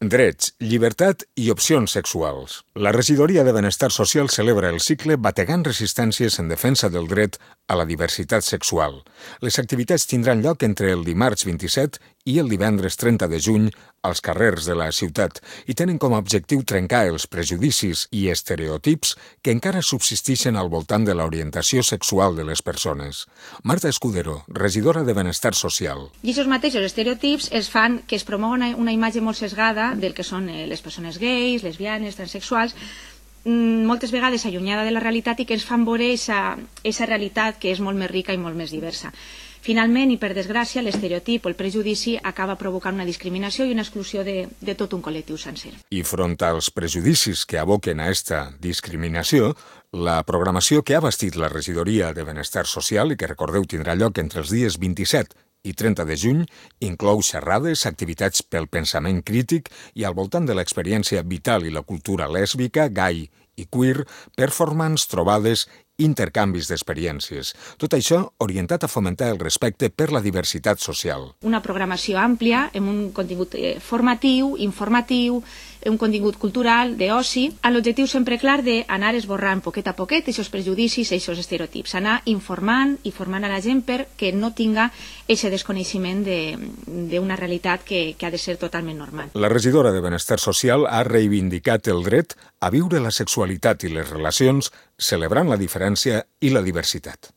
Drets, llibertat i opcions sexuals. La Regidoria de Benestar Social celebra el cicle Bategant resistències en defensa del dret a la diversitat sexual. Les activitats tindran lloc entre el dimarts 27 i el divendres 30 de juny als carrers de la ciutat i tenen com a objectiu trencar els prejudicis i estereotips que encara subsisteixen al voltant de l'orientació sexual de les persones. Marta Escudero, regidora de Benestar Social. I aquests mateixos estereotips es fan que es promou una imatge molt sesgada del que són les persones gais, lesbianes, transexuals, moltes vegades allunyada de la realitat i que ens fan veure aquesta realitat que és molt més rica i molt més diversa. Finalment, i per desgràcia, l'estereotip o el prejudici acaba provocant una discriminació i una exclusió de tot un col·lectiu sencer. I front als prejudicis que aboquen a esta discriminació, la programació que ha bastit la Regidoria de Benestar Social i que, recordeu, tindrà lloc entre els dies 27 i 30 de juny, inclou xerrades, activitats pel pensament crític i al voltant de l'experiència vital i la cultura lèsbica, gai i queer, performance, trobades, intercanvis d'experiències. Tot això orientat a fomentar el respecte per la diversitat social. Una programació àmplia, amb un contingut formatiu, informatiu, un contingut cultural, d'oci, amb l'objectiu sempre clar d'anar esborrant poquet a poquet aquests prejudicis i aquests estereotips, anar informant i formant a la gent perquè no tinga aquest desconeixement d'una realitat que ha de ser totalment normal. La regidora de Benestar Social ha reivindicat el dret a viure la sexualitat i les relacions celebrant la diferència i la diversitat.